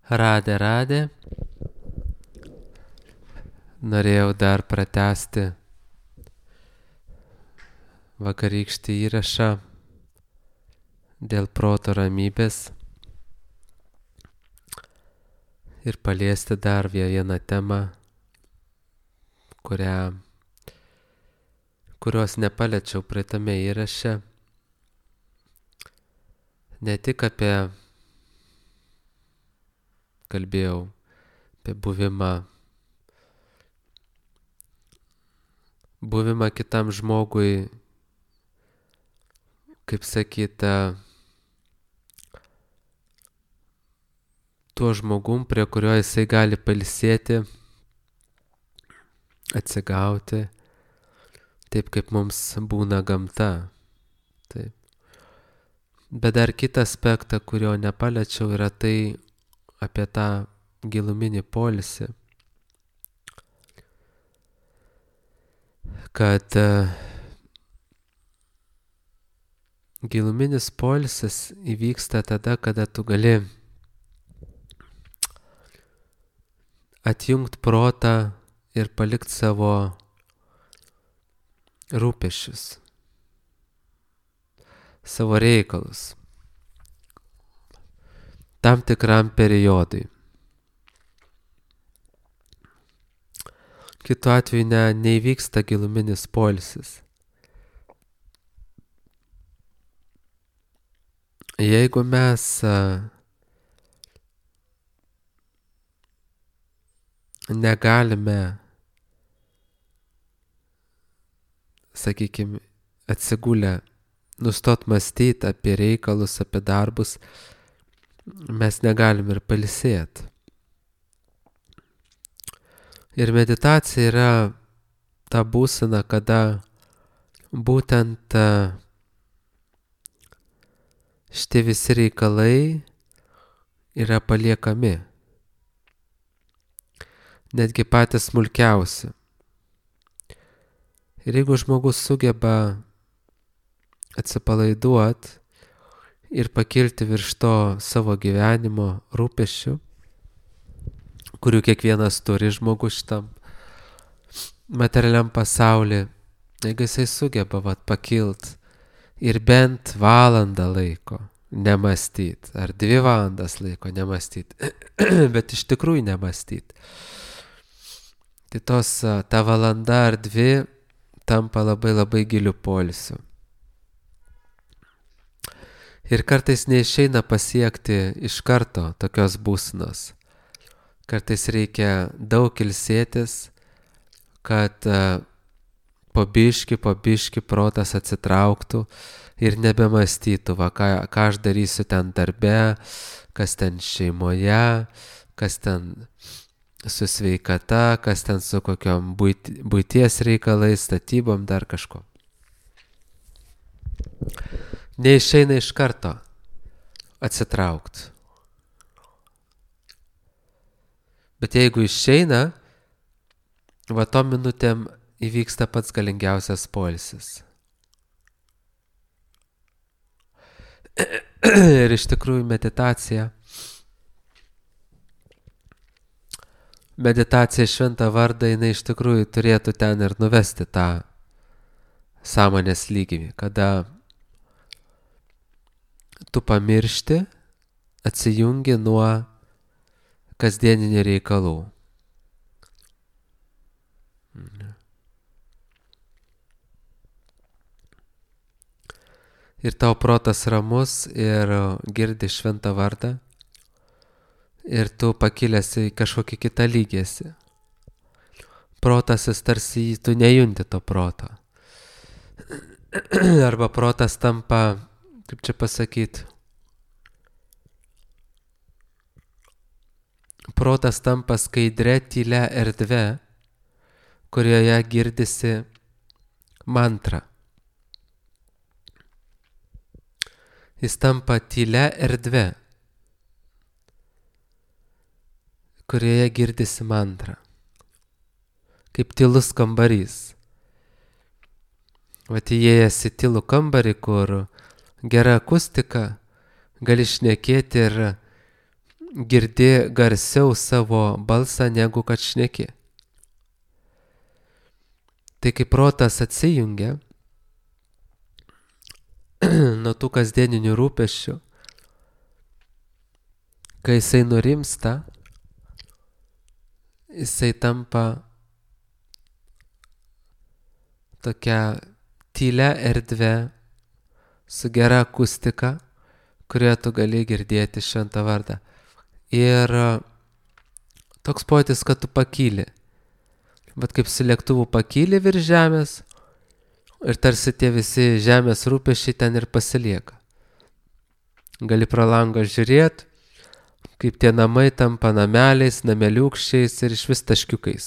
Radė. Norėjau dar pratęsti vakarykštį įrašą dėl proto ramybės ir paliesti dar vieną temą, kurios nepaliečiau praeitame įraše. Ne tik kalbėjau apie buvimą kitam žmogui, kaip sakyta, tuo žmogum, prie kurio jisai gali pailsėti, atsigauti, taip kaip mums būna gamta. Taip. Bet dar kitą aspektą, kurio nepaliečiau, yra tai apie tą giluminį poilsį. Kad giluminis poilsis įvyksta tada, kada tu gali atjungti protą ir palikti savo rūpesčius, savo reikalus tam tikram periodui. Kitu atveju neįvyksta giluminis poilsis. Jeigu mes negalime, sakykime, atsigulę, nustot mąstyti apie reikalus, apie darbus, mes negalim ir pailsėti. Ir meditacija yra ta būsena, kada būtent šitie visi reikalai yra paliekami. Netgi patys smulkiausi. Ir jeigu žmogus sugeba atsipalaiduoti ir pakilti virš to savo gyvenimo rūpesčių, kurių kiekvienas turi žmogus šitam materialiam pasaulyje, jeigu jisai sugeba pakilt ir bent valandą laiko nemąstyti, ar 2 valandas laiko nemąstyti, bet iš tikrųjų nemąstyti, tai ta valanda ar 2 tampa labai labai giliu poilsiu. Ir kartais neišeina pasiekti iš karto tokios būsenos. Kartais reikia daug ilsėtis, kad po biškį protas atsitrauktų ir nebemąstytų, ką aš darysiu ten darbe, kas ten šeimoje, kas ten su sveikata, kas ten su kokiom buities reikalais, statybom, dar kažko. Neišeina iš karto atsitraukti. Bet jeigu išeina, tom minutėm įvyksta pats galingiausias poilsis. Ir iš tikrųjų meditacija šventą vardą, jinai iš tikrųjų turėtų ten ir nuvesti tą sąmonės lygį, kada tu pamiršti, atsijungi nuo kasdieninių reikalų. Ir tau protas ramus ir girdi šventą vardą ir tu pakilęs į kažkokį kitą lygį. Protas tarsi tu nejunti to proto. Arba protas tampa, kaip čia pasakyti, protas tampa skaidre, tylia erdve, kurioje girdisi mantra. Jis tampa tylia erdve, kurioje girdisi mantra. Kaip tylus kambarys. Įėjęs į tylų kambarį, kur gera akustika, gali šnekėti ir girdi garsiau savo balsą, negu kad šneki. Tai kai protas atsijungia nuo tų kasdieninių rūpesčių, kai jisai nurimsta, jisai tampa tokia tylia erdvė su gera akustika, kurioje tu gali girdėti šventą vardą. Ir toks pojūtis, kad tu pakyli. Bet kaip su lėktuvu pakyli virš žemės ir tarsi tie visi žemės rūpesčiai ten ir pasilieka. Gali pro langą žiūrėti, kaip tie namai tampa nameliais, nameliukščiais ir iš vis taškiukais.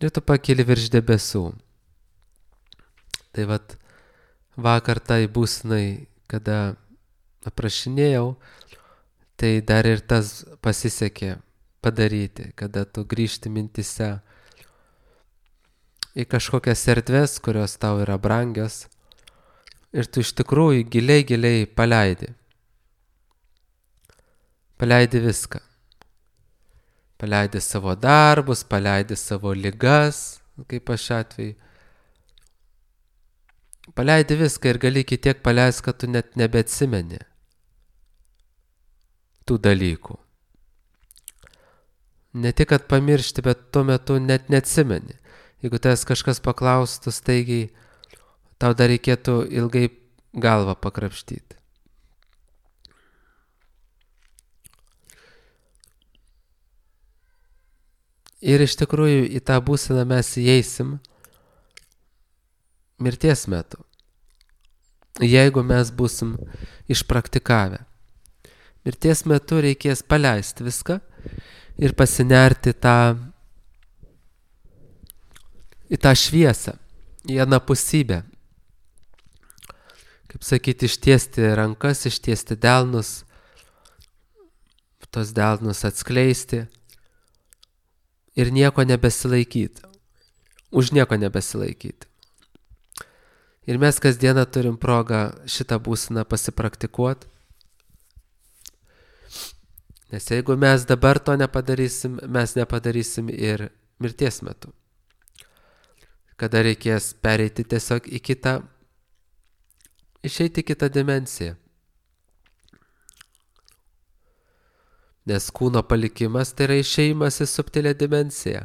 Ir tu pakyli virš debesų. Tai vat vakar tai būsenai, kada aprašinėjau, tai dar ir tas pasisekė padaryti, kada tu grįžti mintise į kažkokias erdves, kurios tau yra brangios ir tu iš tikrųjų giliai paleidi. Paleidi viską. Paleidi savo darbus, paleidi savo ligas, kaip aš atveju. Paleidi viską ir gali iki tiek paleisti, kad tu net nebeatsimeni tų dalykų. Ne tik, kad pamiršti, bet tuo metu net neatsimeni. Jeigu tavęs kažkas paklaustų staigiai, tau dar reikėtų ilgai galvą pakrapštyti. Ir iš tikrųjų į tą būseną mes įeisim mirties metu, jeigu mes būsim išpraktikavę. Mirties metu reikės paleisti viską ir pasinerti į tą šviesą, į anapusybę. Kaip sakyti, ištiesti rankas, ištiesti delnus, tos delnus atskleisti ir nieko nebesilaikyti, už nieko nebesilaikyti. Ir mes kasdieną turim progą šitą būseną pasipraktikuoti. Nes jeigu mes dabar to nepadarysim, mes nepadarysim ir mirties metu. Kada reikės pereiti tiesiog į kitą, išeiti į kitą dimensiją. Nes kūno palikimas tai yra išėjimas į subtilę dimensiją.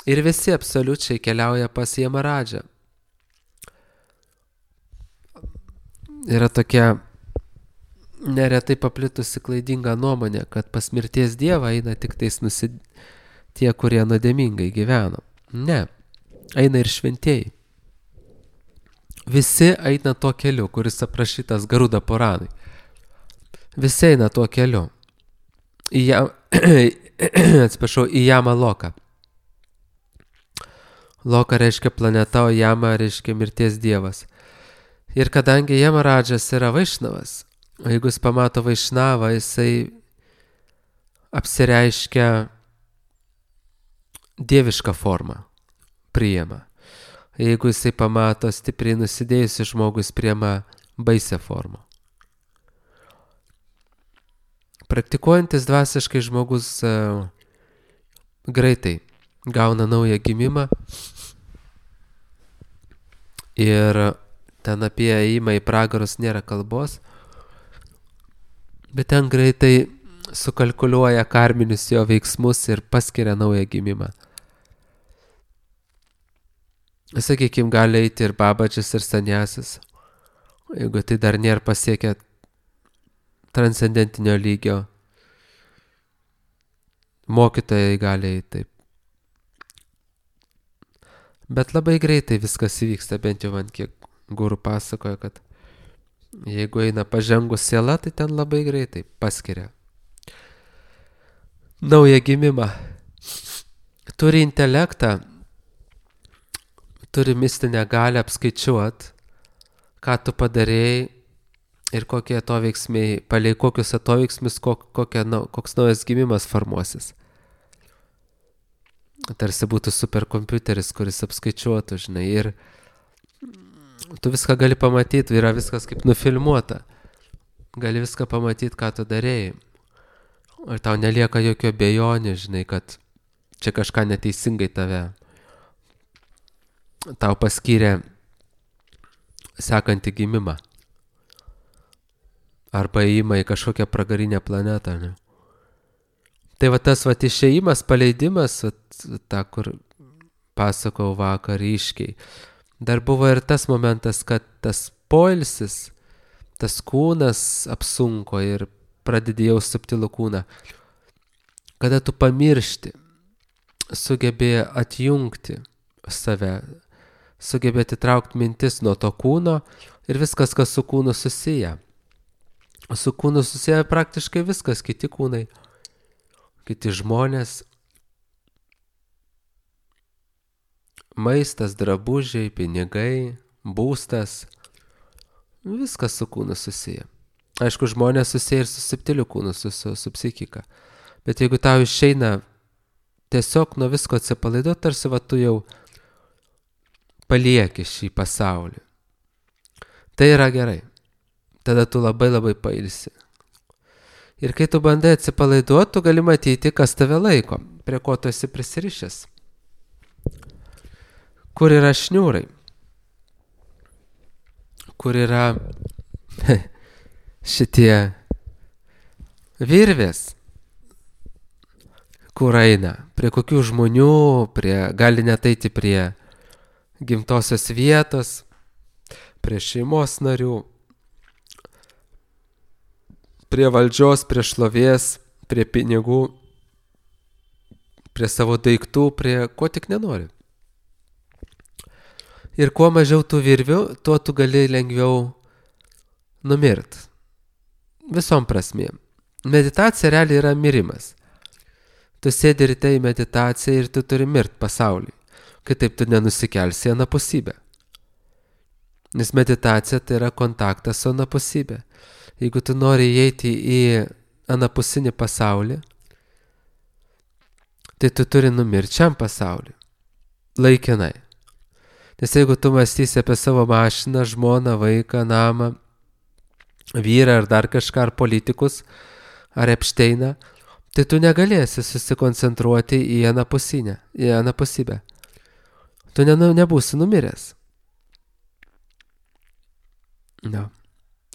Ir visi absoliučiai keliauja pas Jemaradžą. Yra tokia neretai paplitusi klaidinga nuomonė, kad pas mirties dievą eina tik tais tie, kurie nuodėmingai gyveno. Ne, eina ir šventieji. Visi eina tuo keliu, kuris aprašytas Garuda Puranai. Visi eina tuo keliu. Į Jama Loką. Loka reiškia planeta, o Jama reiškia mirties dievas. Ir kadangi Jemaradžas yra Vaišnavas, jeigu jis pamato Vaišnavą, jisai apsireiškia dievišką formą, priima. Jeigu jisai pamato stipriai nusidėjusi žmogus, priima baisią formą. Praktikuojantis dvasiškai žmogus greitai gauna naują gimimą ir ten apie ėjimą į pragarus nėra kalbos, bet ten greitai sukalkuliuoja karminius jo veiksmus ir paskiria naują gimimą. Sakykime, gali eiti ir babačius, ir sanjasis, jeigu tai dar nėra pasiekę transcendentinio lygio. Mokytojai gali eiti taip. Bet labai greitai viskas įvyksta, bent jau man kiek guru pasakoja, kad jeigu eina pažengus siela, tai ten labai greitai paskiria naują gimimą. Turi intelektą, turi mistinę galią apskaičiuot, ką tu padarėjai ir kokie atoveiksmiai, palei kokius atoveiksmius, koks naujas gimimas formuosis. Tarsi būtų superkompiuteris, kuris apskaičiuotų, žinai, ir tu viską gali pamatyti, yra viskas kaip nufilmuota. Gali viską pamatyti, ką tu darėjai. Ir tau nelieka jokio abejonių, žinai, kad čia kažką neteisingai tau paskyrė sekantį gimimą. Arba įima į kažkokią pragarinę planetą, ne? Tai va tas va išėjimas, paleidimas, ta, kur pasakau vakar ryškiai. Dar buvo ir tas momentas, kad tas poilsis, tas kūnas apsunko ir pradedi jau subtilų kūną. Kada tu pamiršti, sugebėjai atjungti save, sugebėjai atitraukti mintis nuo to kūno ir viskas, kas su kūnu susiję. Su kūnu susiję praktiškai viskas, kiti kūnai, kiti žmonės, maistas, drabužiai, pinigai, būstas, viskas su kūnu susiję. Aišku, žmonės susiję ir su subtiliu kūnu, su psichika. Bet jeigu tau išeina tiesiog nuo visko atsipalaiduoti, tarsi va tu jau palieki šį pasaulį. Tai yra gerai. Tada tu labai labai pailsi. Ir kai tu bandai atsipalaiduoti, tu gali matyti, kas tave laiko, prie ko tu esi prisirišęs. Kur yra šniūrai? Kur yra šitie virvės? Kur eina? Prie kokių žmonių? Gali net eiti prie gimtosios vietos, prie šeimos narių, prie valdžios, prie šlovės, prie pinigų, prie savo daiktų, prie ko tik nenori. Ir kuo mažiau tų virvių, tuo tu gali lengviau numirt. Visom prasmėm. Meditacija realiai yra mirimas. Tu sėdi ryte į meditaciją ir tu turi mirt pasaulį. Kitaip tu nenusikelsi į anapusybę. Nes meditacija tai yra kontaktas su anapusybė. Jeigu tu nori įeiti į anapusinį pasaulį, tai tu turi numirti šiam pasaulį. Laikinai. Nes jeigu tu mąstysi apie savo mašiną, žmoną, vaiką, namą, vyrą ar dar kažką, ar politikus, ar Epšteiną, tai tu negalėsi susikoncentruoti į anapusybę. Tu nebūsi numiręs. No.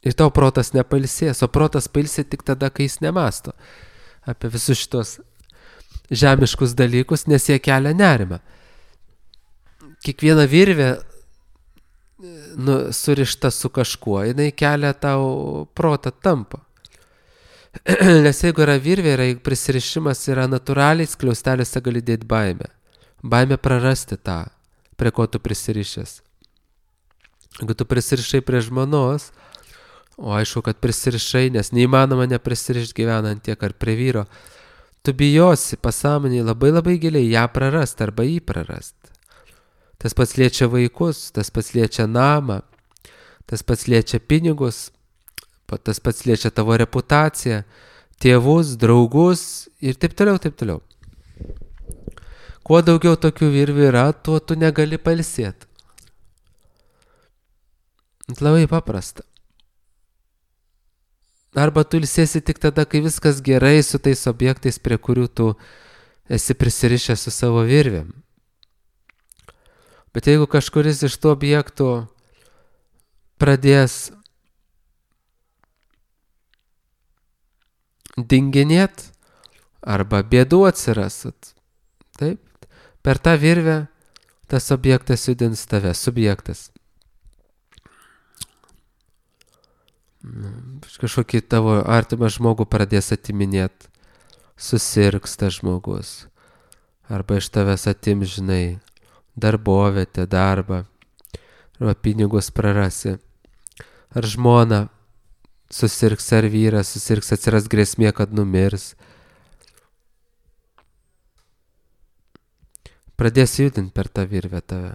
Ir tau protas nepailsės, o protas pailsė tik tada, kai jis nemąsto apie visus šitos žemiškus dalykus, nes jie kelia nerimą. Kiekviena virvė surišta su kažkuo, jinai kelia tau protą tampą. Nes jeigu yra virvė, prisirišimas yra natūraliai, skliausteliuose gali dėti baimę. Baimė prarasti tą, prie ko tu prisirišęs. Jeigu tu prisirišai prie žmonos, o aišku, kad prisirišai, nes neįmanoma neprisirišti gyvenant tiek ar prie vyro, tu bijosi pasąmonėje labai labai giliai ją prarast arba jį prarast. Tas pats liečia vaikus, tas pats liečia namą, tas pats liečia pinigus, tas pats liečia tavo reputaciją, tėvus, draugus ir taip toliau, taip toliau. Kuo daugiau tokių virvių yra, tuo tu negali pailsėti. Labai paprasta. Arba tu ilsėsi tik tada, kai viskas gerai su tais objektais, prie kurių tu esi prisirišęs su savo virvėm. Bet jeigu kažkuris iš tų objektų pradės dinginėt arba bėdų atsiras, taip, per tą virvę tas objektas judins tave, subjektas. Kažkokį tavo artimą žmogų pradės atiminėti, susirgs tas žmogus, arba iš tavęs atims, žinai, darbovietę, darbą, arba pinigus prarasi, ar žmona susirgs, ar vyras susirgs, atsiras grėsmė, kad numirs. Pradės judinti per tą virvę tave.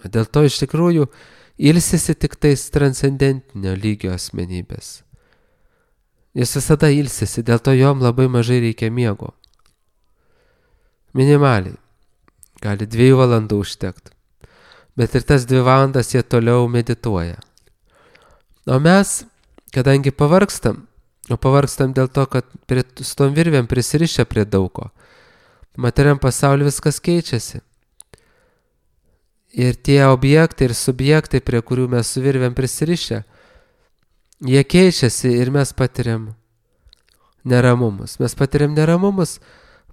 Dėl to iš tikrųjų ilsisi tik tais transcendentinio lygio asmenybės. Jis visada ilsisi, dėl to jom labai mažai reikia miego. Minimaliai. Gali 2 valandų užtekti. Bet ir tas 2 valandas jie toliau medituoja. O mes, kadangi pavargstam, O pavargstam dėl to, kad su tom virvėm prisirišę prie daugo. Materiam pasauliu viskas keičiasi. Ir tie objektai ir subjektai, prie kurių mes su virvėm prisirišę, jie keičiasi ir mes patiriam neramumus. Mes patiriam neramumus,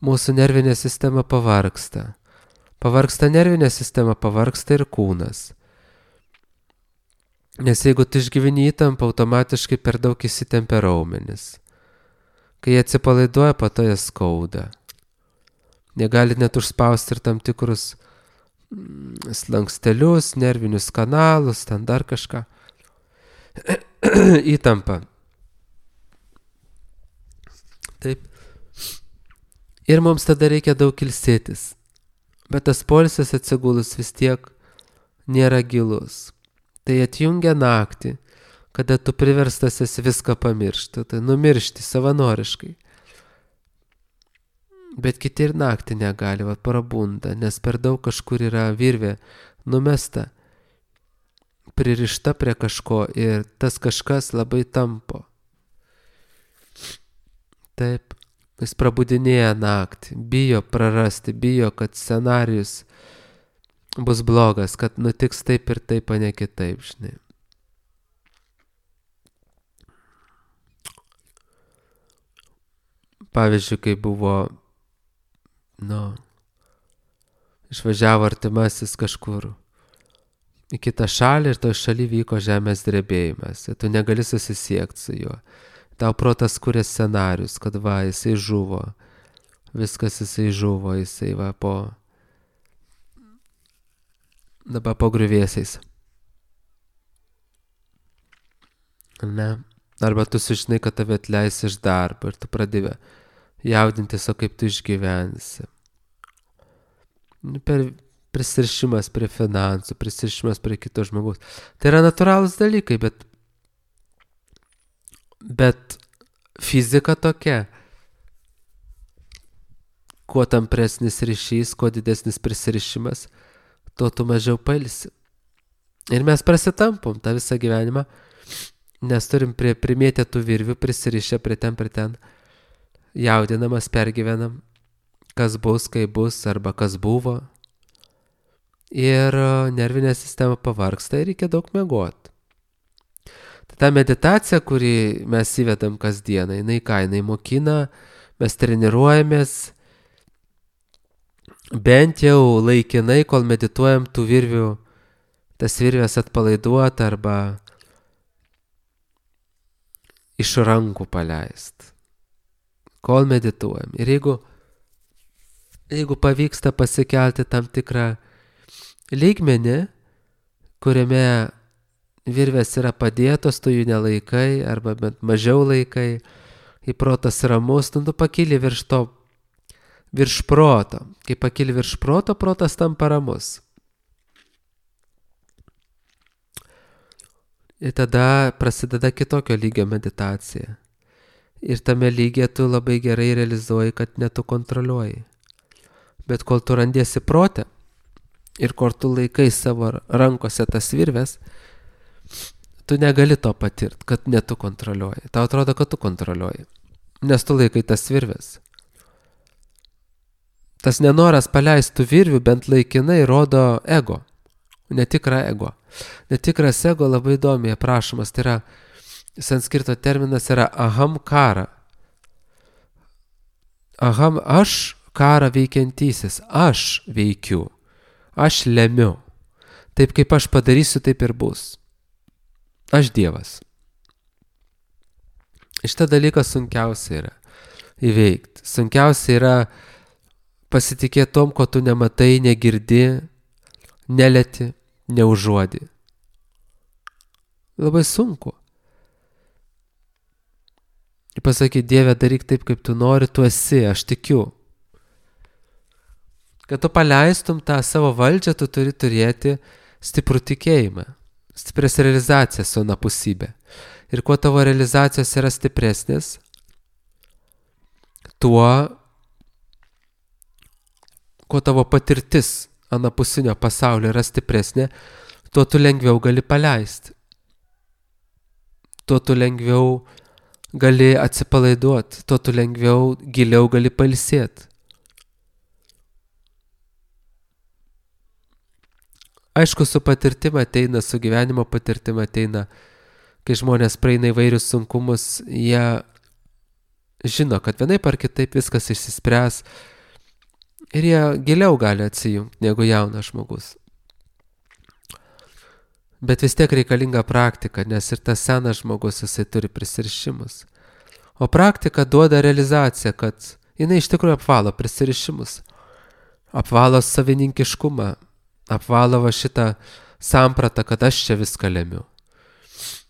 mūsų nervinė sistema pavargsta. Pavargsta nervinė sistema, pavargsta ir kūnas. Nes jeigu tu išgyveni įtampą, automatiškai per daug įsitempia raumenis. Kai jie atsipalaiduoja, po to jie skauda. Jie gali net užspausti ir tam tikrus slankstelius, nervinius kanalus, ten dar kažką. Įtampa. Taip. Ir mums tada reikia daug ilsėtis. Bet tas poilsis atsigulus vis tiek nėra gilus. Tai atjungia naktį, kada tu priverstas esi viską pamiršti, tai numiršti savanoriškai. Bet kiti ir naktį negali, prabunda, nes per daug kažkur yra virvė numesta, pririšta prie kažko ir tas kažkas labai tampo. Taip, jis prabudinėja naktį, bijo prarasti, bijo, kad scenarijus bus blogas, kad nutiks taip ir taip, o ne kitaip, žinai. Pavyzdžiui, kai buvo, išvažiavo artimasis kažkur į kitą šalį ir toj šaly vyko žemės drebėjimas. Ir tu negali susisiekti su juo. Tau protas kuria scenarius, kad jisai žuvo. Viskas jisai žuvo, jisai dabar po griuvėsiais. Ne. Arba tu sužinai, kad tave atleis iš darbo ir tu pradėjai jaudintis, o kaip tu išgyvensi. Prisirišimas prie finansų, prisirišimas prie kito žmogaus. Tai yra natūralūs dalykai, bet fizika tokia. Kuo tampresnis ryšys, kuo didesnis prisirišimas, tuo tu mažiau pailsi. Ir mes prasitampom tą visą gyvenimą, nes turim primėtę tų virvių, prisirišę prie ten, jaudinamas, pergyvenam, kas bus, kai bus, arba kas buvo. Ir nervinė sistema pavargsta ir reikia daug miegot. Ta meditacija, kurį mes įvedam kasdieną, jinai mokina, mes treniruojamės, bent jau laikinai, kol medituojam tų virvių, tas virvės atpalaiduot arba iš rankų paleist. Kol medituojam. Ir jeigu pavyksta pasikelti tam tikrą lygmenį, kuriame virvės yra padėtos, tu jų nelaikai, arba bent mažiau laikai, į protas ramus, tu pakyli virš proto. Kai pakyli virš proto, protas tampa ramus. Ir tada prasideda kitokio lygio meditacija. Ir tame lygyje tu labai gerai realizuoji, kad ne tu kontroliuoji. Bet kol tu randiesi prote ir kol tu laikai savo rankose tas virves, tu negali to patirti, kad ne tu kontroliuoji. Tau atrodo, kad tu kontroliuoji, nes tu laikai tas virves. Tas nenoras paleistų virvių bent laikinai rodo ego, netikrą ego. Netikras ego labai įdomiai aprašomas, tai yra, sanskrito terminas yra aham kara. Aham, aš karą veikiantysis, aš veikiu, aš lemiu. Taip kaip aš padarysiu, taip ir bus. Aš Dievas. Šitą dalyką sunkiausia yra įveikti. Sunkiausia yra pasitikėti tom, ko tu nematai, negirdi, nelieti, neužuodi. Labai sunku. Ir pasakyti, Dieve, daryk taip, kaip tu nori, tu esi, aš tikiu. Kad tu paleistum tą savo valdžią, tu turi turėti stiprų tikėjimą, stiprias realizacijas su anapusybė. Ir kuo tavo realizacijos yra stipresnės, kuo tavo patirtis anapusinio pasaulio yra stipresnė, tuo tu lengviau gali paleisti. Tuo tu lengviau gali atsipalaiduoti, tuo tu lengviau, giliau gali pailsėti. Aišku, su patirtima ateina, su gyvenimo patirtima ateina, kai žmonės praeina įvairius sunkumus, jie žino, kad vienaip ar kitaip viskas išsispręs ir jie giliau gali atsijungti negu jaunas žmogus. Bet vis tiek reikalinga praktika, nes ir tas senas žmogus jisai turi prisirišimus. O praktika duoda realizaciją, kad jinai iš tikrųjų apvalo prisirišimus, apvalo savininkiškumą, apvalo va šitą sampratą, kad aš čia viską lemiu.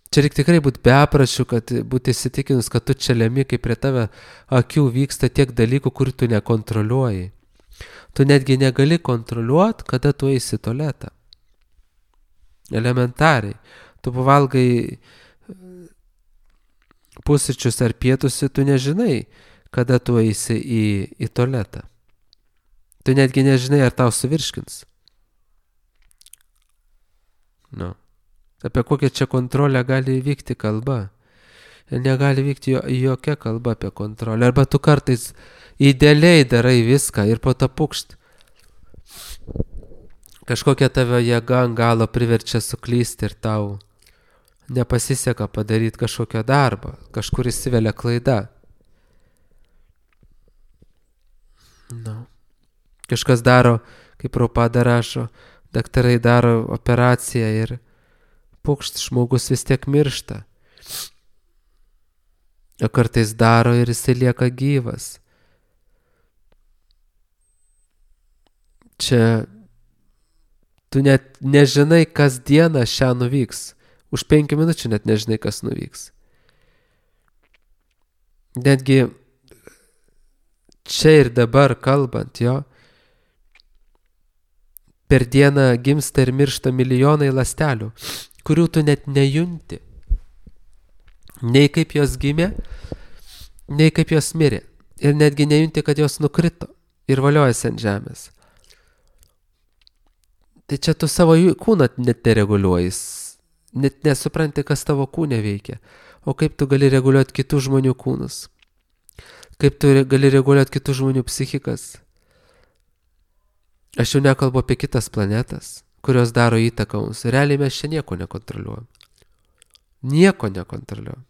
Čia reikia tikrai būti beprašiu, kad būti įsitikinus, kad tu čia lemi, kai prie tave akių vyksta tiek dalykų, kur tu nekontroliuoji. Tu netgi negali kontroliuoti, kada tu eisi į tualetą. Elementariai. Tu pavalgai pusryčius ar pietus, tu nežinai, kada tu eisi į tualetą. Tu netgi nežinai, ar tau suvirškins. Nu. Apie kokią čia kontrolę gali vykti kalba. Ir negali vykti jokia kalba apie kontrolę. Arba tu kartais idealiai darai viską ir po to pukšt. Kažkokia tave jėga ant galo priverčia suklysti ir tau nepasiseka padaryti kažkokio darbo. Kažkur įsivelia klaida. Nu. Kažkas daro, kaip Prabhupada rašo, daktarai daro operaciją ir pukšt, žmogus vis tiek miršta. O kartais daro ir jisai lieka gyvas. Čia tu net nežinai, kas dieną šią nuvyks. Už 5 minučių net nežinai, kas nuvyks. Netgi čia ir dabar kalbant, jo, per dieną gimsta ir miršta milijonai ląstelių, kurių tu net nejunti. Nei kaip jos gimė, nei kaip jos mirė. Ir netgi nejunti, kad jos nukrito ir valiojasi ant žemės. Tai čia tu savo kūną net nereguliuoji, net nesupranti, kas tavo kūne veikia. O kaip tu gali reguliuoti kitų žmonių kūnus? Kaip tu gali reguliuoti kitų žmonių psichikas? Aš jau nekalbu apie kitas planetas, kurios daro įtaką mums. Realiai mes čia nieko nekontroliuojam. Nieko nekontroliuojam.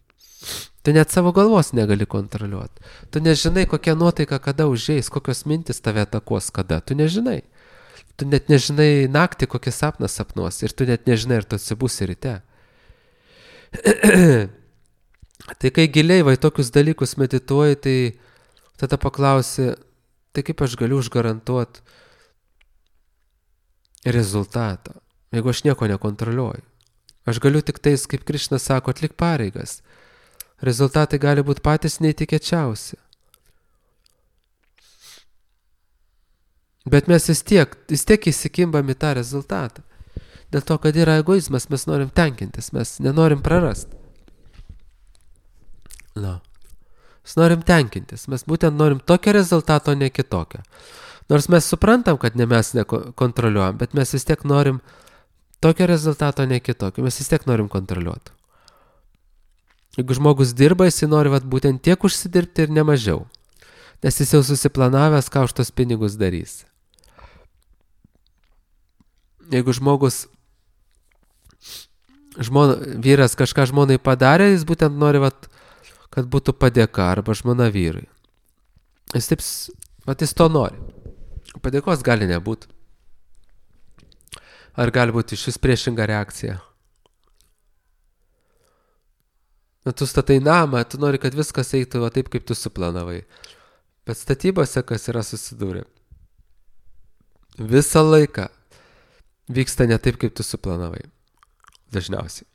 Tu net savo galvos negali kontroliuoti. Tu nežinai, kokia nuotaika kada užeis, kokios mintis tave atakuos kada. Tu nežinai. Tu net nežinai naktį, kokį sapną sapnuos. Ir tu net nežinai, ar tu atsibusi ryte. Tai kai giliai vai tokius dalykus medituoji, tai tada paklausi, tai kaip aš galiu užgarantuoti rezultatą, jeigu aš nieko nekontroliuoju. Aš galiu tik tais, kaip Krišna sako, atlik pareigas. Rezultatai gali būti patys neįtikėčiausi. Bet mes vis tiek įsikimbam į tą rezultatą. Dėl to, kad yra egoizmas, mes norim tenkintis, mes nenorim prarasti. Mes norim tenkintis, mes būtent norim tokio rezultato, ne kitokio. Nors mes suprantam, kad ne mes nekontroliuojam, bet mes vis tiek norim tokio rezultato, ne kitokio. Mes vis tiek norim kontroliuoti. Jeigu žmogus dirba, jis nori būtent tiek užsidirbti ir nemažiau. Nes jis jau susiplanavęs, ką už tos pinigus darys. Jeigu vyras kažką žmonai padarė, jis būtent nori, kad būtų padėka arba žmona vyrui. Jis to nori. Padėkos gali nebūti. Ar gali būti iš vis priešinga reakcija? Tu statai namą, tu nori, kad viskas eitų taip, kaip tu suplanavai. Bet statybose, kas yra susidūrę, visą laiką vyksta ne taip, kaip tu suplanavai. Dažniausiai.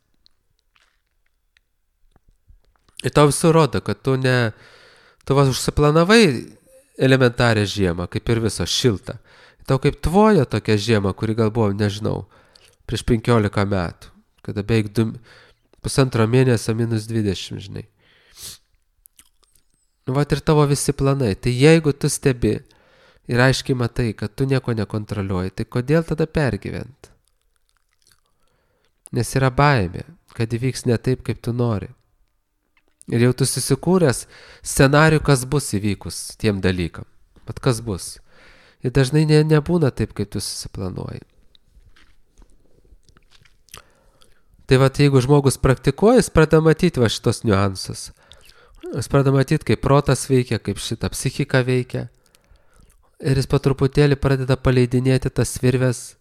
Ir tau visų rodo, kad tu užsiplanavai elementarią žiemą, kaip ir viso šiltą. Tau kaip tvojo tokia žiema, kuri gal buvo, nežinau, prieš 15 metų, kada beveik 1,5 mėnesio -20, žinai. Ir tavo visi planai. Tai jeigu tu stebi ir aiškiai matai, kad tu nieko nekontroliuoji, tai kodėl tada pergyventi? Nes yra baimė, kad įvyks ne taip, kaip tu nori. Ir jau tu susikūręs scenarių, kas bus įvykus tiem dalykam. Bet kas bus. Ir dažnai nebūna taip, kaip tu susiplanuoji. Tai va, jeigu žmogus praktikuoja, jis pradeda matyti va šitos niuansus. Jis pradeda matyti, kaip protas veikia, kaip šita psichika veikia. Ir jis po truputėlį pradeda paleidinėti tas virves,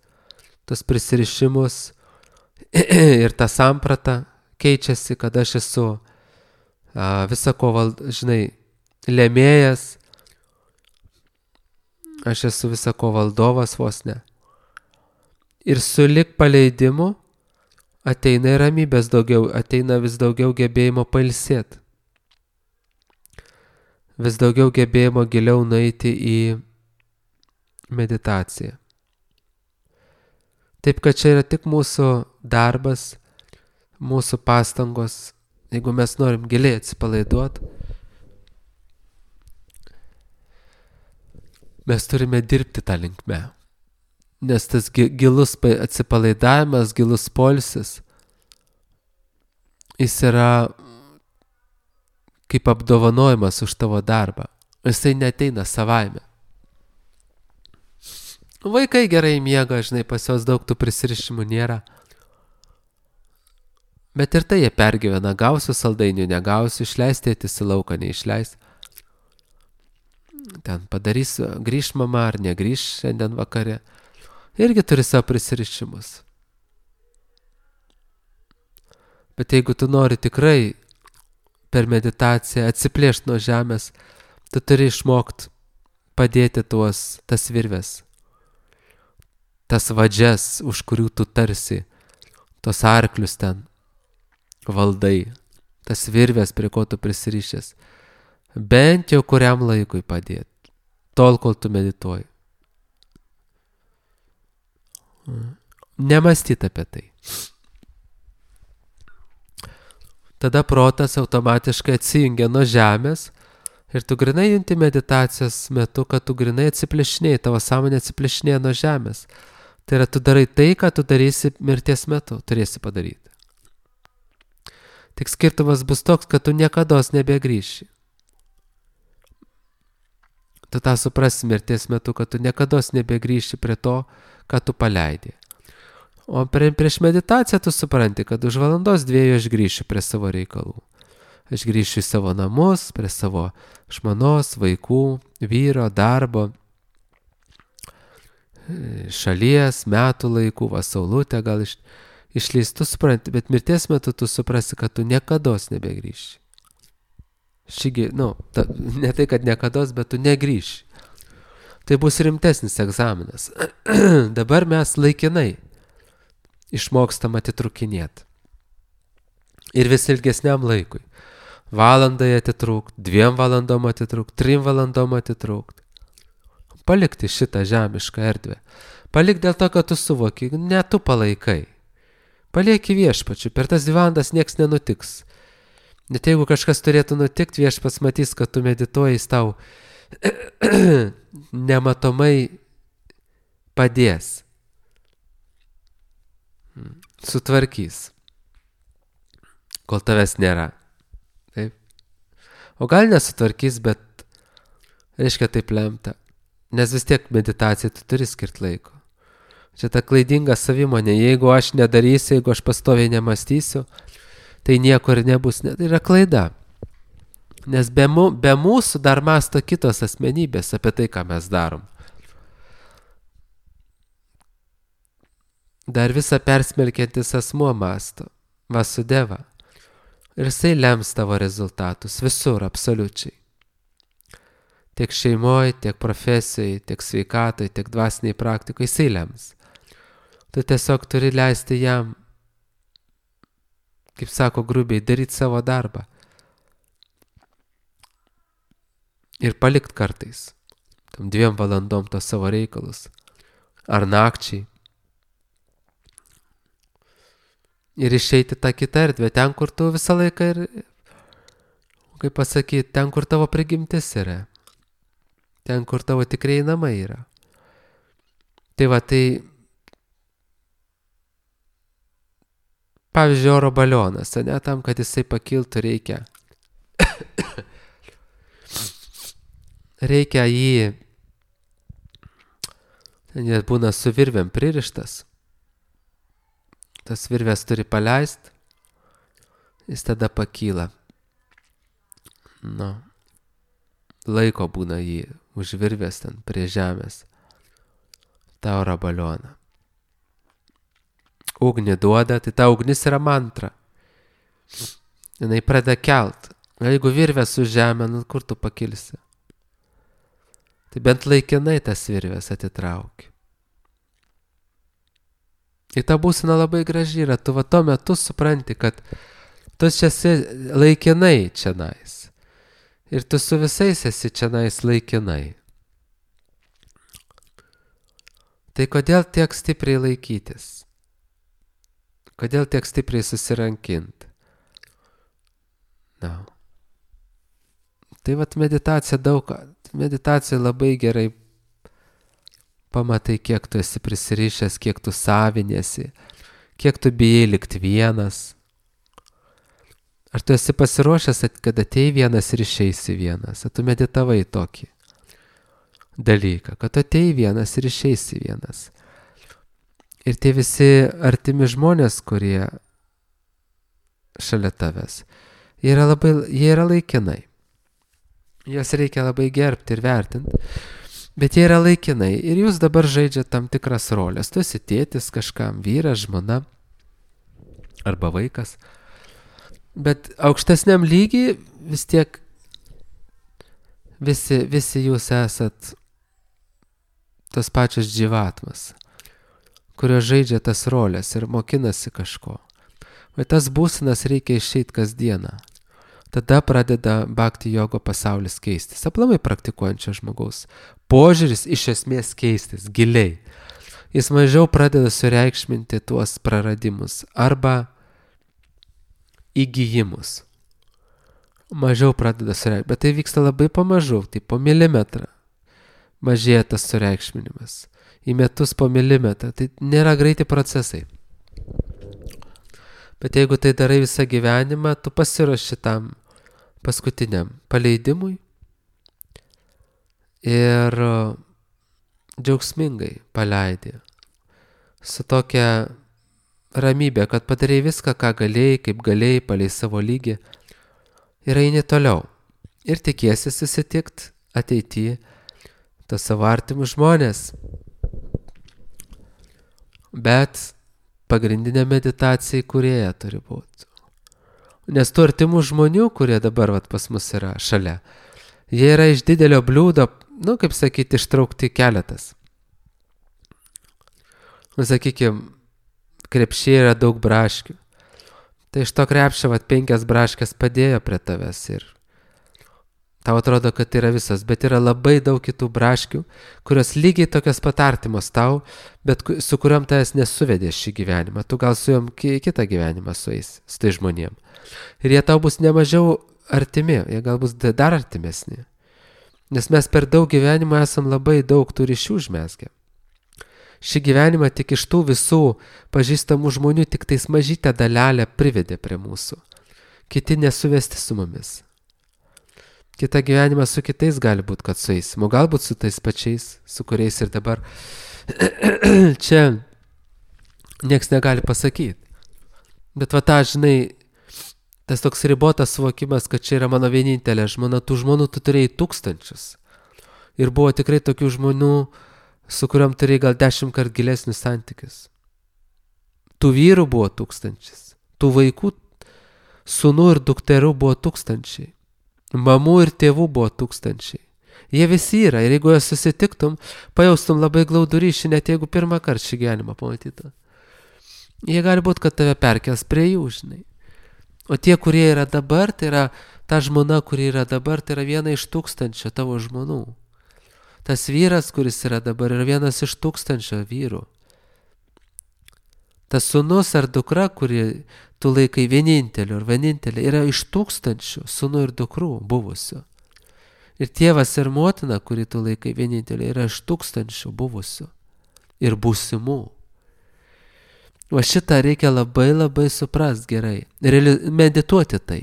tas prisirišimus. Ir ta samprata keičiasi, kad aš esu visako, lėmėjas. Aš esu visako valdovas vos ne. Ir sulik paleidimu ateina ir ramybės daugiau, ateina vis daugiau gebėjimo pailsėti. Vis daugiau gebėjimo giliau nueiti į meditaciją. Taip, kad čia yra tik mūsų darbas, mūsų pastangos, jeigu mes norim giliai atsipalaiduoti, mes turime dirbti tą linkmę. Nes tas gilus atsipalaidavimas, gilus poilsis, jis yra kaip apdovanojimas už tavo darbą. Jisai neateina savaime. Vaikai gerai miega, pas juos daug tų prisirišimų nėra. Bet ir tai jie pergyvena, gausiu saldainių, negausiu, išleisti tėtis į lauką, neišleis. Ten padarys, grįš mama ar negrįš šiandien vakare. Irgi turi savo prisirišimus. Bet jeigu tu nori tikrai per meditaciją atsiplėšti nuo žemės, tu turi išmokti padėti tas virves, tas vadžias, už kurių tu tarsi, tos arklius ten valdai, tas virves, prie ko tu prisirišęs, bent jau kuriam laikui padėti, tol, kol tu medituoji. Nemąstyti apie tai. Tada protas automatiškai atsijungia nuo žemės ir tu grinai junti meditacijos metu, kad tu grinai atsiplėšinėjai, tavo sąmonė atsiplėšinėja nuo žemės. Tai yra, tu darai tai, ką tu darysi mirties metu, turėsi padaryti. Tik skirtumas bus toks, kad tu niekados nebegrįši. Tu tą suprasi mirties metu, kad tu niekados nebegrįši prie to, ką tu paleidai. O prieš meditaciją tu supranti, kad už valandos 2 aš grįšiu prie savo reikalų. Aš grįšiu į savo namus, prie savo žmonos, vaikų, vyro, darbo, šalies, metų laikų, saulutę gal išleis, tu supranti, bet mirties metu tu suprasi, kad tu niekados nebegrįši. Ne tai, kad niekados, bet tu negrįši. Tai bus rimtesnis egzaminas. Dabar mes laikinai išmokstam atitrukinėti. Ir vis ilgesniam laikui. Valandai atitrūkt, 2 valandom atitrūkt, 3 valandom atitrūkt. Palikti šitą žemišką erdvę. Palik dėl to, kad tu suvoki, ne tu palaikai. Palieki viešpačiu, per tas 2 valandas nieks nenutiks. Net jeigu kažkas turėtų nutikti, viešpats matys, kad tu medituoji, jis tau nematomai padės. Sutvarkys. Kol tavęs nėra. Taip. O gal nesutvarkys, bet reiškia taip lemta. Nes vis tiek meditacijai tu turi skirti laiko. Čia ta klaidinga savimonė. Jeigu aš nedarysiu, jeigu aš pastoviai nemąstysiu, tai nieko ir nebus. Tai yra klaida. Nes be mūsų dar mąsto kitos asmenybės apie tai, ką mes darom. Dar visą persmelkiantis asmuo mąsto. Vasudeva. Ir jisai lems tavo rezultatus. Visur, absoliučiai. Tiek šeimoje, tiek profesijoje, tiek sveikatoje, tiek dvasiniai praktikoje jisai lems. Tu tiesiog turi leisti jam, kaip sako grubiai, daryti savo darbą. Ir palikt kartais, tam 2 valandom tos savo reikalus. Ar nakčiai. Ir išeiti tą kitą erdvę, ten, kur tu visą laiką ir, kaip pasakyti, ten, kur tavo prigimtis yra. Ten, kur tavo tikrieji namai yra. Tai va, tai, pavyzdžiui, oro balionas, ne, tam, kad jisai pakiltų, reikia reikia jį, jis būna su virvėm pririštas, tas virvės turi paleist, jis tada pakyla. Nu, laiko būna jį už virvės ten prie žemės, tą oro balioną. Ugnį duoda, tai ta ugnis yra mantra. Jinai pradeda kelt. Jeigu virvės už žemę, nu kur tu pakilsi? Tai bent laikinai tas virvės atitrauki. Ir ta būsena labai graži yra. Tu va tuo metu supranti, kad tu čia esi laikinai čionais. Ir tu su visais esi čionais laikinai. Tai kodėl tiek stipriai laikytis? Kodėl tiek stipriai susirankinti? Na. Tai vat meditacija meditacija labai gerai pamatai, kiek tu esi prisirišęs, kiek tu savinėsi, kiek tu bijai likti vienas. Ar tu esi pasiruošęs, kad atei vienas ir išeisi vienas? Ar tu meditavai tokį dalyką, kad atei vienas ir išeisi vienas? Ir tie visi artimi žmonės, kurie šalia tavęs, jie yra laikinai. Juos reikia labai gerbti ir vertinti, bet jie yra laikinai. Ir jūs dabar žaidžiate tam tikras rolės. Tu esi tėtis kažkam, vyras, žmona arba vaikas. Bet aukštesniam lygiai vis tiek visi jūs esat tos pačios dživatmas, kurios žaidžia tas rolės ir mokinasi kažko. Bet tas būsenas reikia išeiti kasdieną. Tada pradeda bhakti jogo pasaulis keistis. Aplamai praktikuojančio žmogaus požiūris iš esmės keistis giliai. Jis mažiau pradeda sureikšminti tuos praradimus arba įgijimus. Mažiau pradeda sureikšminti. Bet tai vyksta labai pamažu, tai po milimetrą mažėja tas sureikšminimas. Į metus po milimetrą. Tai nėra greiti procesai. Bet jeigu tai darai visą gyvenimą, tu pasiruoši tam paskutiniam paleidimui ir džiaugsmingai paleidi su tokia ramybė, kad padarai viską, ką galėjai, kaip galėjai, palei savo lygį ir eini toliau. Ir tikiesi susitikti ateityje tas savo artimus žmonės. Bet pagrindinė meditacija kūrėja turi būti. Nes tų artimų žmonių, kurie dabar pas mus yra šalia, jie yra iš didelio bliūdo, kaip sakyti, ištraukti keletas. Sakykime, krepšyje yra daug braškių. Tai iš to krepšio 5 braškės padėjo prie tavęs ir tau atrodo, kad tai yra visas, bet yra labai daug kitų braškių, kurios lygiai tokios pat artimos tau, bet su kuriuom tavęs nesuvedė šį gyvenimą. Tu gal su juom kitą gyvenimą sueis, su tai žmonėm. Ir jie tau bus nemažiau artimi, jie gal bus dar artimesni. Nes mes per daug gyvenimą esam labai daug tų ryšių užmezgę. Šį gyvenimą tik iš tų visų pažįstamų žmonių tik tais mažytę dalelę privedė prie mūsų. Kiti nesuvesti su mumis. Kita gyvenimą su kitais gali būti, kad sueisim, o galbūt su tais pačiais, su kuriais ir dabar čia nieks negali pasakyti. Bet va tą, žinai, tas toks ribotas suvokimas, kad čia yra mano vienintelė žmona, tų žmonų tu turėjai tūkstančius. Ir buvo tikrai tokių žmonių, su kuriuom turėjai gal 10 kart gilesnius santykius. Tų vyrų buvo tūkstančius, tų vaikų, sūnų ir dukterų buvo tūkstančiai. Mamų ir tėvų buvo tūkstančiai. Jie visi yra ir jeigu juos susitiktum, pajaustum labai glaudų ryšį, net jeigu pirmą kartą šį gyvenimą pamatytum. Jie gali būti, kad tave perkels prie jų, žinai. O tie, kurie yra dabar, tai yra ta žmona, kuri yra dabar, tai yra viena iš 1000 tavo žmonų. Tas vyras, kuris yra dabar, yra vienas iš 1000 vyrų. Tas sūnus ar dukra, kuri tu laikai vieninteliu ar vienintelė, yra iš 1000 sūnų ir dukrų buvusių. Ir tėvas ir motina, kuri tu laikai vienintelė, yra iš 1000 buvusių ir būsimų. O šitą reikia labai labai suprast gerai ir medituoti tai.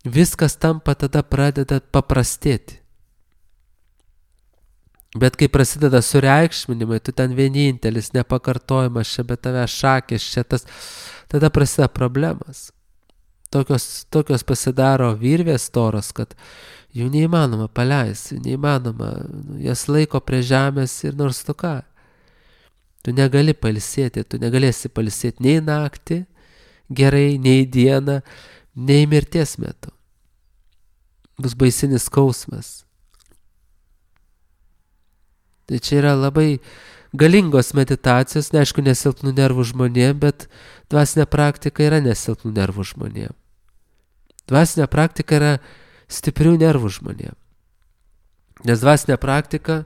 viskas tampa tada pradeda paprastėti. Bet kai prasideda sureikšminimai, tu ten vienintelis, nepakartojimas, čia be tave šakės, čia tas, tada prasideda problemas. Tokios pasidaro virvės storos, kad jų neįmanoma paleisti, neįmanoma, jas laiko prie žemės ir nors tu ką. Tu negali pailsėti, tu negalėsi pailsėti nei naktį, gerai, nei dieną, nei mirties metu. Bus baisinis skausmas. Tai čia yra labai galingos meditacijos, neaišku, nesilpnų nervų žmonėm, bet dvasinė praktika yra nesilpnų nervų žmonėm. Dvasinė praktika yra stiprių nervų žmonėm. Nes dvasinė praktika,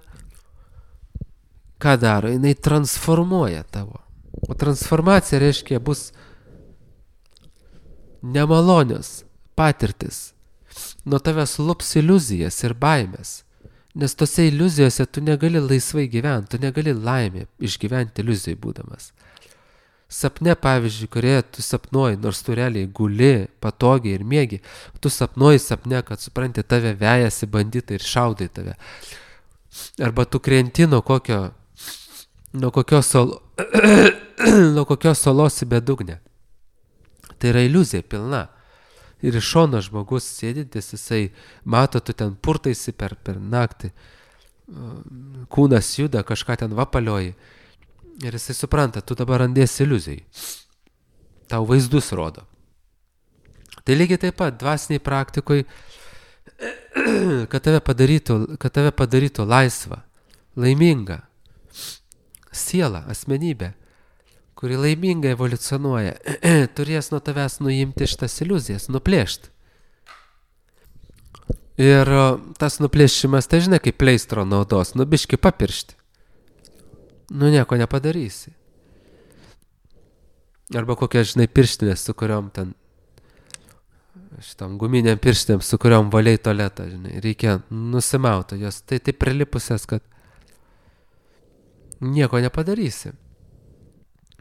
ką daro? Jinai transformuoja tavo. O transformacija reiškia bus nemalonios patirtis. Nuo tavęs lups iliuzijas ir baimės. Nes tose iliuzijose tu negali laisvai gyventi, tu negali laimę išgyventi iliuzijai būdamas. Sapne, pavyzdžiui, kurioje tu sapnuoji, nors tu realiai guli, patogiai ir mėgi, tu sapnuoji sapne, kad supranti, tave vejasi banditai ir šaudai tave. Arba tu krenti nuo kokios salos į bedugnę. Tai yra iliuzija pilna. Ir iš šono žmogus sėdintis, jisai mato, tu ten purtaisi per naktį, kūnas juda, kažką ten vapalioji. Ir jisai supranta, tu dabar randėsi iliuzijai. Tau vaizdus rodo. Tai lygiai taip pat dvasiniai praktikoj, kad tave padarytų laisvą, laimingą sielą, asmenybę, kuri laimingai evoliucionuoja, turės nuo tavęs nuimti šitas iliuzijas, nuplėšti. Ir tas nuplėšimas, tai žinai, kaip pleistro naudos, biškį papiršti. Nieko nepadarysi. Arba kokia, žinai, pirštinės, su kuriom ten, šitam guminiam pirštinėm, su kuriom valiai tualetą, žinai, reikia nusimauti jos, tai prilipusias, kad nieko nepadarysi.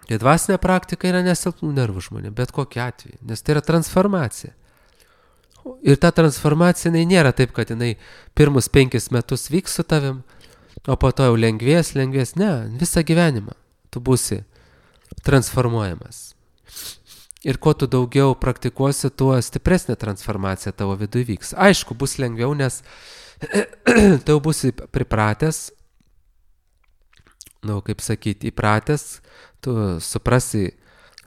Tai dvasinė praktika yra nesilpnų nervų žmonė, bet kokiu atveju, nes tai yra transformacija. Ir ta transformacija nėra taip, kad jinai pirmus 5 metus vyks su tavim, o po to jau lengvės, ne, visą gyvenimą tu būsi transformuojamas. Ir kuo tu daugiau praktikuosi, tuo stipresnė transformacija tavo viduje vyks. Aišku, bus lengviau, nes tu būsi pripratęs, kaip sakyti, įpratęs, tu suprasi,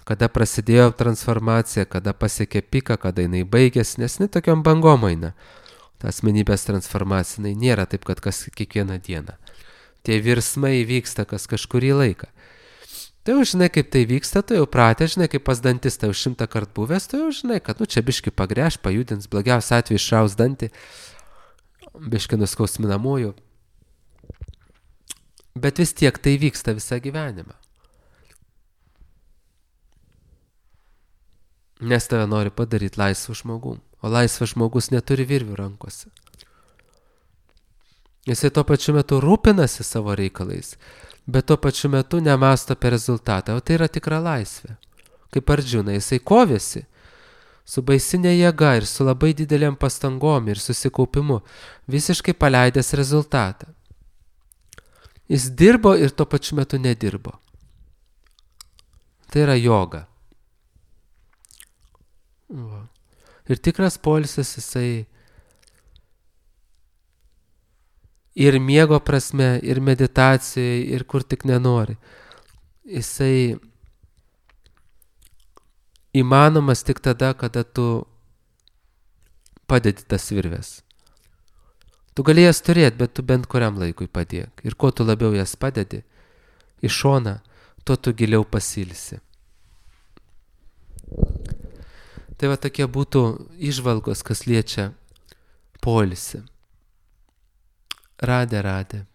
kada prasidėjo transformacija, kada pasiekė piką, kada jinai baigėsi, nes jinai tokiom bangom eina. Ta asmenybės transformacija, jinai nėra taip, kad kiekvieną dieną. Tie virsmai vyksta kažkurį laiką. Tai jau žinai, kaip tai vyksta, tu jau pratę, žinai, kaip pas dantistą jau 100 kartų buvęs, tu jau žinai, kad čia biški pagręš, pajudins, blogiausiu atveju išraus dantį, biški nuskausminamųjų. Bet vis tiek tai vyksta visą gyvenimą. Nes tave nori padaryti laisvą žmogum, o laisvas žmogus neturi virvių rankose. Jisai tuo pačiu metu rūpinasi savo reikalais, bet tuo pačiu metu nemąsto apie rezultatą, o tai yra tikra laisvė. Kaip Ardžuna, jisai kovėsi su baisinė jėga ir su labai didelėm pastangom ir susikaupimu, visiškai paleidęs rezultatą. Jis dirbo ir tuo pačiu metu nedirbo. Tai yra joga. Ir tikras poilsis jisai ir miego prasme, ir meditacijai, ir kur tik nenori. Jisai įmanomas tik tada, kada tu padedi tas virves. Tu gali jas turėti, bet tu bent kuriam laikui padėk. Ir kuo tu labiau jas padedi į šoną, tuo tu giliau pasilsi. Tai va tokie būtų įžvalgos, kas liečia poilsį. Radė.